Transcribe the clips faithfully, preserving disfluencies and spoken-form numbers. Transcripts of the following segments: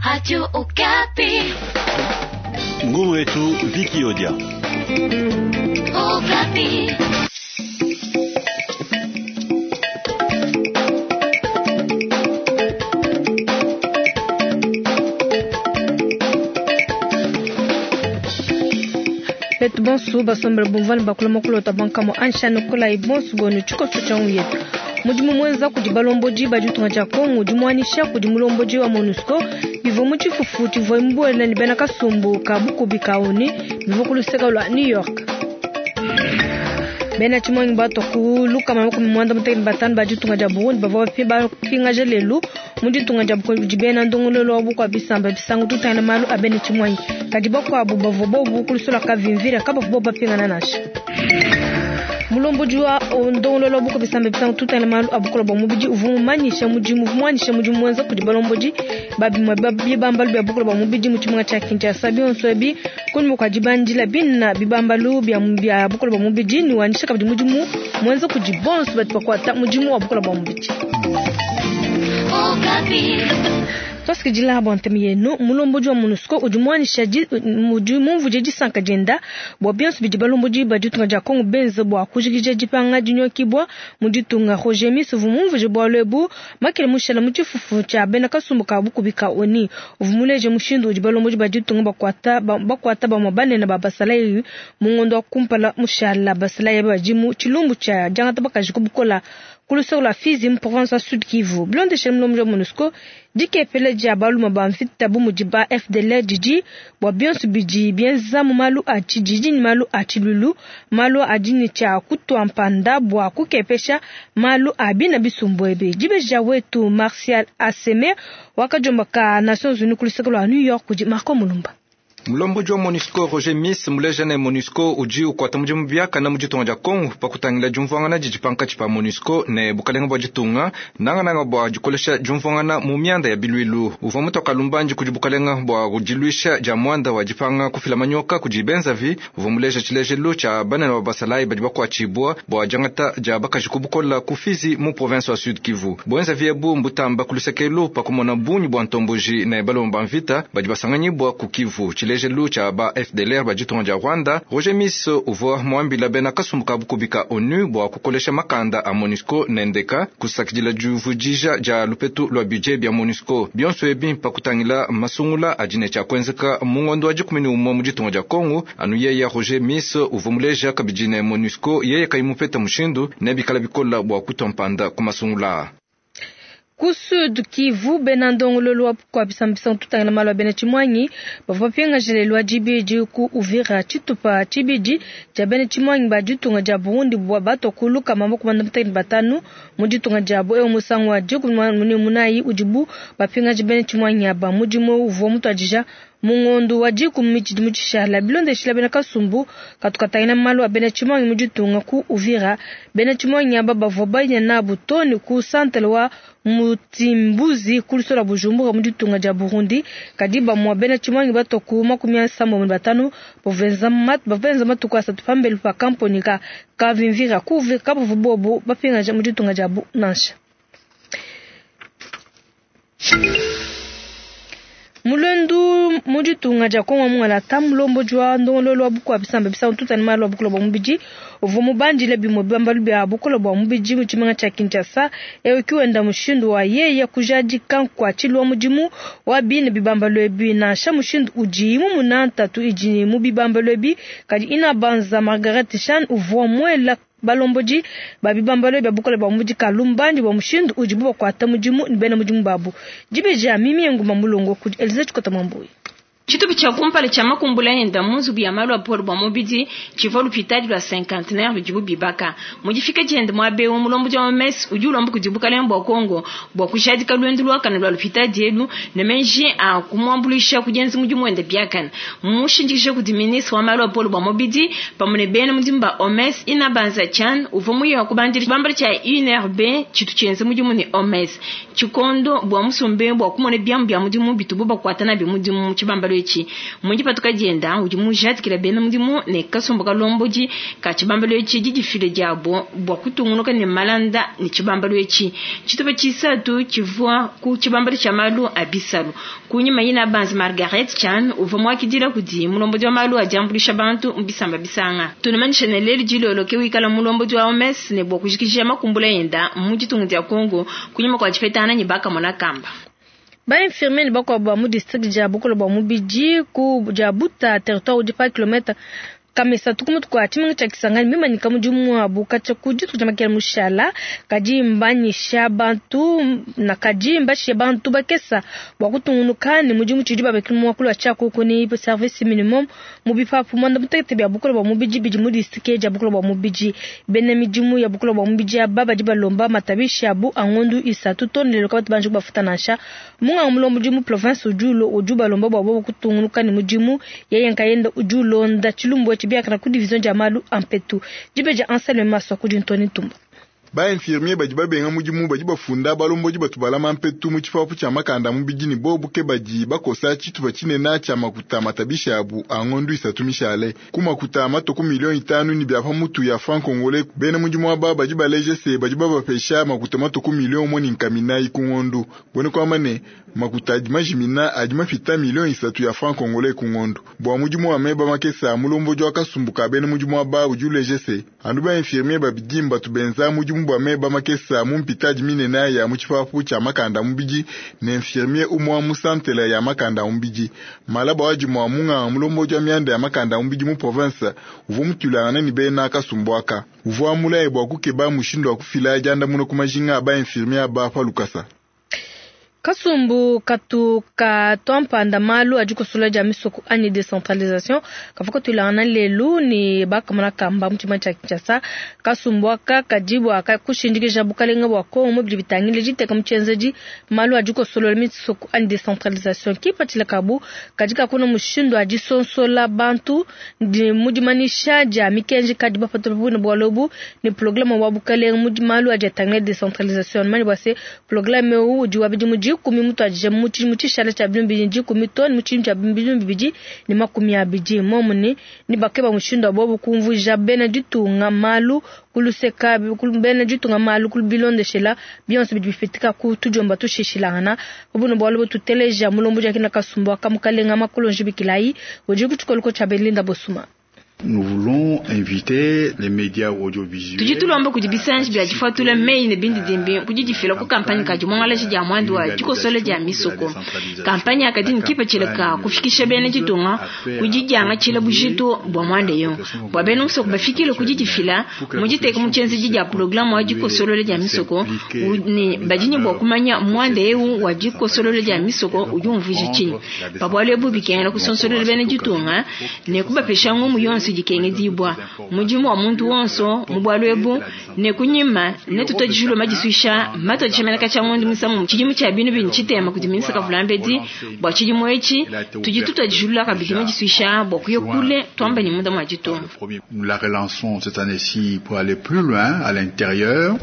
Radio Okapi. Ngumu yetu Viki Odia. Okapi. Betu bonso basombela bumvana bakula makulota bankamo anshano kola ibonso bonu tshikoso tsha yetu mudimu mwenza kudi balombodi ba ditunga dia Kongo dimwanisha kudi mulombodi wa MONUSCO bivua mu tshifufu tshivua mbuela ne bena kasumbu ka bukubi ka ONU bivua ku luseke lua New York. Bena tshimonyi bato ku lukama makumi muanda mutekete batanu ba ditunga dia Burundi bavua bapingaja lelu mu ditunga dia Burundi bena ndongololo wa bukua bisamba bisangu tutangila malu a bena tshimonyi kadi bakuabu bavua bobu ku luseke lua Kavimvira kabavua bobu bapingana nansha. Mulombodi wa ndongololo buko bisamba bisangu tutangila malu a bukola bua mubidi uvua mumanyisha mudimu mumanyisha mudimu mwenza kudi balombodi babimue bibambalu bia bukola bua mubidi mu tshimenga tshia Kinshasa bionso ebi kunyima kua dibandila bina bibambalu bia bia bukola bua mubidi ne wanyisha kabidi mudimu mwenza kudi bonso badi bakuata mudimu wa bukola bua mubidi. Twasikidila bua ntemi yenu mulombodi wa MONUSCO udi muanisha udi mumvuje disanka dienda bua bionso bidi balombodi ba ditunga dia Kongo benze bua kujikija dipanga dinyokibwa mu ditunga. Roger Miss uvua mumvuje bualu ebu makele mushala mu tshifufu tshia bena kasumbu ka bukubi ka ONU uvua muleje mushindu udi balombodi ba ditunga bakuata bakuata bamue banene ba basalayi mu ngondo wa kumpala mushala basalayi badi mu tshilumbu tshia diangata bakaji ku bukola ku luseke lua Fizi mu province wa Sud Kivu. Bilondeshile mulombodi wa MONUSCO dikepele dia baluma ba mvita bu mudi ba F D L didi bua bionso bidi bienza mu malu a tshididi ne malu a tshilulu malu adi ne tshia kutua mpanda bua kukepesha malu a bina bisumbu ebi. Dibeja wetu Martial Aseme wakajomba ka Nations Unies ku luseke lua New York kudi Marco Mulumba. Mulombodi wa MONUSCO Roger Miss muleja ne MONUSCO udi ukuata mudimu biakana mu ditunga dia Kongo pakutangila diumvuangana didi pankatshi pa MONUSCO ne bukalenga bua ditunga nangananga bua dikolesha diumvuangana mu mianda ya bilwilu. Uvua mutoka lumbandi kudi bukalenga bua diluisha dia muanda wa dipanga kufila manyoka kudi benzavi. Uvua muleja tshilejelu tshia banene ba basalayi badi bakuatshibua bua diangata dia bakaji ku bukola ku Fizi mu province wa Sud Kivu. Buenzavi ebu mbutamba ku lusekelu pakumona bungi bua ntomboji ne balomba ba mvita badi basanganyibua ku Kivu. Tshilejelu tshia ba F D L R ba ditunga dia Rwanda, Roger Miss uvua muambila bena kasumbu ka bukubi ka ONU bua kukolesha makanda a MONUSCO nendeka kusakidila divudija dia lupetu lua budget bia MONUSCO. Bionso ebi pakutangila masungula adi ne tshia kuenzeka mu ngondo wa dikumi ne umue mu ditunga dia Kongo. Anu yeya Roger Miss uvua muleja kabidi ne MONUSCO yeye kayimupeta mushindu ne bikala bikola bua kutua mpanda ku masungula. Ku Sud Kivu bena ndongololo wa bukua bisamba tutangila malu a bena tshimuangi bavua bapingaja lelu wa dibidi ku Uvira tshitupa tshibidi tshia bena tshimuangi ba ditunga dia Burundi bua batua ku lukama makumi muanda mutekete batanu mu ditunga diabu. Ewu musangu wa dikumi ne munayi udibu bapingaja bena tshimuangi aba. Mudimu uvua mutuadija mu ngondo wa dikumi tshidimu tshishala. Bilondeshila bena kasumbu katukatangila malu a bena tshimuangi mu ditunga ku Uvira. Bena tshimuangi aba bavua baya nabu too ne ku santele wa Mutimbuzi ku luseke lua Bujumbura mu ditunga dia Burundi. Kadi bamue bena tshimuangi batua ku makumi asambombo ne batanu bavua benza matuku asatu pambelu pa kamponi ka Kavimvira ku Uvira kabavua bobu bapingaja mu ditunga diabu nansha. Mulendu mu ditunga dia Kongo mungala mulombodi wa ndongololo wa bukua bisamba bisangu tutani malu a bukola bua mubidi uvua mubandile bimue bibambalu bia bukola bua mubidi mu tshimenga tshia Kinshasa. Ewu kiwenda mushindu wa yeye kujadika nkuatshilu wa mudimu wa bine bibambalu ebi nansha mushindu udi mumuna ntatu idi mu bibambalu ebi. Kadi inabanza Margaret Chan uvua muela balombodi ba bibambalu bia bukola bua mubidi kalumbandi bua mushindu udibu bakuata mudimu ne bena mudimu babu. Dibeja mimi nguma mulongo kudi Elise Chikota Mwambuyi. Tshitupa tshia kumpala tshia makumbula enda mu nzubu ya malu a bukola bua mubidi tshivua lupitadi lua cinquantenaire ludibu bibaka. Mu difika diende muaba eu mulombodi wa O M S udi ulomba kudi bukalenga bua Kongo bua kujadika luendu luakane lua lupitadi elu ne meji a kumuambuluisha ku dienza mudimu wende biakane. Mmushindikije kudi ministre wa malu a bukola bua mubidi pamue ne bena mudimu ba O M S Inabanza Chan uvua muye wa kubandila tshibambalu tshia U N R B tshitu tshienza mudimu ne O M S. Tshikondo bua musombe bua kumona biamu bia mudimu bitubu bakuata nabi mudimu mu tshibambalu etshi. Mu dipatuka dienda udi mujadikila bena mudimu ne kasumbu kalombodi ka tshibambalu etshi didifile diabo bua kutungunuka ne malanda ne tshibambalu etshi. Tshitupa tshisatu tshivua ku tshibambalu tshia malu a bisalu. Kunyima yina banzi Margaret Chan uvua muakidila kudi mulombodi wa malu a diambuluisha bantu mu bisamba bisanga. Tunamanyisha ne lelu dilolo ke wikala mulombodi wa O M S ne bua kujikija makumbula yenda mu ditunga dia Congo kunyima kua dipetana ne bakamona kamba. Ba infirmier bakwa mu district dia Bukolo bwa mubidi ku dia Buta territoire udi pa kilomètre kamesa tukumutu kwa tshimenga tshia Kisangani mimanyika mudimu wabu katshia ku dituku dia makela mushala kadi mbanyisha bantu na kadi mbashiye bantu bakesa bua kutungunuka ne mudimu tshidi babekela mu wakulu wa tshiakuku ni service minimum mu bipapu mwanda mutekete bia Bukolo bwa mubidi bidi mu district dia Bukolo bwa mubidi. Bena midimu ya Bukolo bwa mubidi aba badi balomba matabishi abu angondu isatu tone lelo kabatu banji bafuta nansha munga mulombo mu province ujulo uju balomba bwa bo kutungunuka ne mudimu yeye nkayenda ujulonda tshilumbu biakana ku division dia malu ampetu dibeja Anselme Maswa ku dintoni tumba. Ba infirmier badi babenga mudimu badi bafunda balombodi batu balama mpetu mu tshipapu tshia makanda mubidi ne bobu ke badi bakosa tshitupa tshinene tshia makuta matabisha abu a ngondu isatu mishale ku makuta matoko milioni itanu ni bia pamutu ya franc congolais. Bena mudimu aba badi baleje se badi babapesha makuta matoko milioni umwe ni nkaminayi ku ngondu bone kwamba ne makuta adi majimina adi mafita milioni isatu ya franc congolais ku ngondu bua mudimu wa meba makesa mulombodi wa kasumbuka bena mudimu aba udi uleje se andu ba infirmier babidi mbatu benza mudimu bwa meba makesa mu mpitadi minene ya mu tshipapu tshia makanda mubidi ne infirmier umwa mu santele ya makanda mubidi malaba waji mwa munga mulombodi wa mianda ya makanda mubidi mu province uvua mutulangana ni bena kasumbuaka uvua mulaye bua kukeba mushindu wa kufila janda muno kumajinga ba infirmier ba pa lukasa. Kasumbu katu ka twampanda malu adi kusula dia misoko anyi decentralisation kavuka tulangana lelu ni bakamona kamba mu tshima tshia Kinshasa. Kasumbu aka kadibu aka kushindikija bukalenga bua Kongo mu bidi bitangile diteka mu tshienzedi malu adi kusula misoko anyi decentralisation kipatshila kabu kadi kakuna mushindu adi sonsola bantu mu dimanisha dia mikenji kadi bapatula buna bwalobu ni programme wa bukalenga mu malu adi atangile decentralisation mani bua se programme udi wa bidi mu dikumi mutu adije mu tshishala tshia binu bibidi dikumi tone mu tshintu tshia binu bibidi ne makumi abidi momune ni bakeba mushindu wa bobu kumvuja bena ditunga malu kuluseka bena ditunga malu kubilondeshela bionso bidi bifitika ku tujomba tushishilangana obuno bwalo tuteleja mulombo jakina kasumbu akamukalenga makulonji bikilayi udi kutshikoloko tshia Belinda Bosuma. Nous voulons inviter les médias audiovisuels. Tudi tulomba kudi bisanji bia difatula meyi ne bindi dimbi kudi difila ku kampanye ka dimongalaji dia mwandu wa dikosole dia misoko. Kampanye akadi nkipatshila ka kufikisha bena ditunga kudi diangatshila bujitu bua mwanda yo. Bua bena musoko bafikile kudi difila mu diteka mu tshienzedi dia programme wa dikosolole dia misoko ne badi ne bua kumanya mwanda eu wa dikosolole dia misoko udi umvuija tshinyi. Pa bualu ebu bikengela kusonsolela bena ditunga ne kubapesha ngumu yonso dikengedibwa mudimu wa muntu wonso mu bwalu ebu ne kunyima ne tutodijulwa madiswisha matodisha tshia ngondo musamu tshidimu tshia binu binu tshitema kudi minisa kavulambedi bua tshidimu etshi tudi tutodijulwa kabidi madiswisha bua kuya kule twamba ni munda mwa ditunga. Nous la relançons cette année-ci pour aller plus loin à l'intérieur.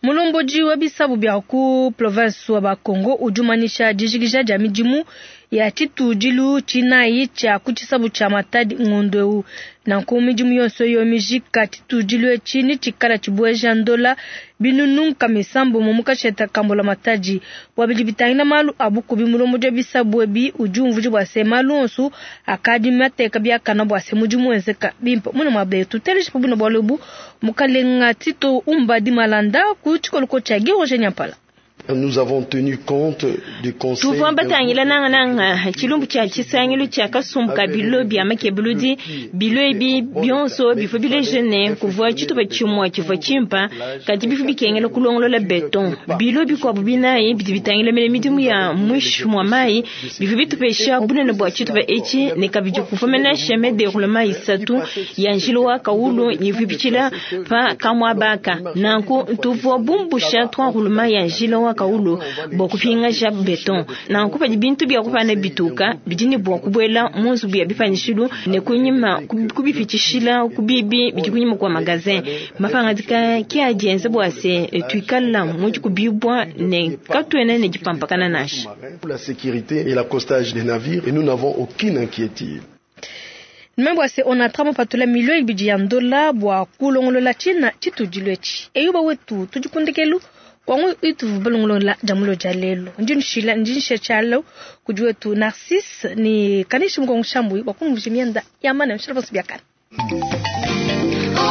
Mulomboji wa bisabu bia ku province wa Bakongo ujumanisha dijikija dia midimu ya tshitudilu tshinayi tshia ku tshisabu tshia Matadi ngondo eu nanku midimu yonso yo mijika tshitudilu etshi ni tshikala tshibueja ndola binunu misambo mu mukasheta kambola Matadi bua bidi bitangila malu abukubi mulomboji wa bisabu ebi udi umvuja bua se malu onso akadi mateka biakana bua se mudimu wenzeka bimpe muna mwa betu teleje pa buna bualu ebu mukalenga Tito Umbadi Malanda ku tshikoloko tshia Giroje Nyampala. Nous avons tenu compte du conseil. Tuvua batangila nanga nanga tshilumbu tshia tshisangilu tshia kasumbu ka bilo bia makebuludi bilo ebi bionso bifo bilejene kuvua tshitupa tshimue tshivua tshimpa kadi bifo bikengela kulongolola beton bilo bikuabu binayi bidi bitangila mele midimu ya mwishi mwa mayi bifo bitupesha bunene bua tshitupa etshi ne kabidi kuvua menashe me déroulement isatu ya njila wa kaulu ivua bitshila pa kamwabaka nanku tuvua bumbusha trois roulement ya njila wa kawulu bua kupingaja beton. Nanku padi bintu bia kupana bituka bidi ne bua kubuela mu nzubu ya bipanyishilu ne kunyima kubipitshishila ku bibi bidi kunyima kua magazin. Mapangadika ke adi enza bua se tuikala mu dikubibua ne katuena ne dipampakana nansha. La sécurité et l'accostage des navires et nous n'avons aucune inquiétude. Nimembo ase onatra mupatula milio ibidi ya ndola bua kulongolola tshina tshitudilu etshi. Eyuba wetu tudikundekelu kwangu itu balongolola jamulo ja lelo. Ndi nshila ndi nsha kudi wetu Narcisse ni kanishi mkongo shambui bua kumvusha mianda ya mana mshila bosu biakana.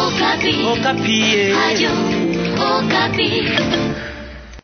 Okapi. Okapi. Radio Okapi.